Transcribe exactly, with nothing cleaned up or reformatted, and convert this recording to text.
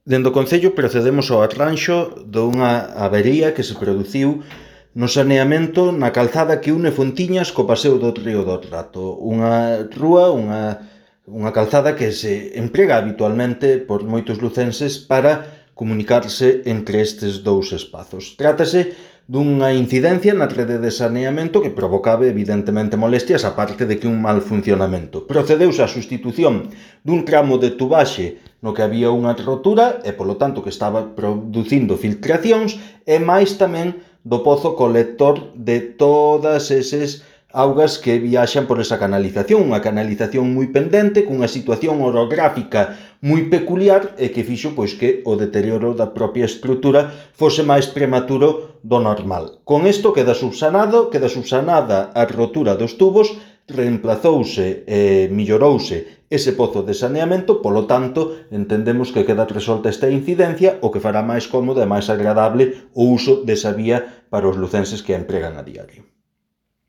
Dende o Concello procedemos ao arranxo dunha avería que se produciu no saneamento na calzada que une Fontiñas co paseo do Río do Rato, unha rúa, unha, unha calzada que se emprega habitualmente por moitos lucenses para comunicarse entre estes dous espazos. Trátase dunha incidencia na rede de saneamento que provocaba evidentemente molestias, a parte de que un mal funcionamento. Procedeuse á sustitución dun tramo de tubaxe no que había unha rotura e, polo tanto, que estaba producindo filtracións, e máis tamén do pozo colector de todas eses augas que viaxan por esa canalización, unha canalización moi pendente, cunha situación orográfica moi peculiar e que fixo pois que o deterioro da propia estrutura fose máis prematuro do normal. Con isto queda subsanado, queda subsanada a rotura dos tubos, reemplazouse e millorouse ese pozo de saneamento, polo tanto, entendemos que queda resolta esta incidencia, o que fará máis cómodo e máis agradable o uso desa vía para os lucenses que a empregan a diario.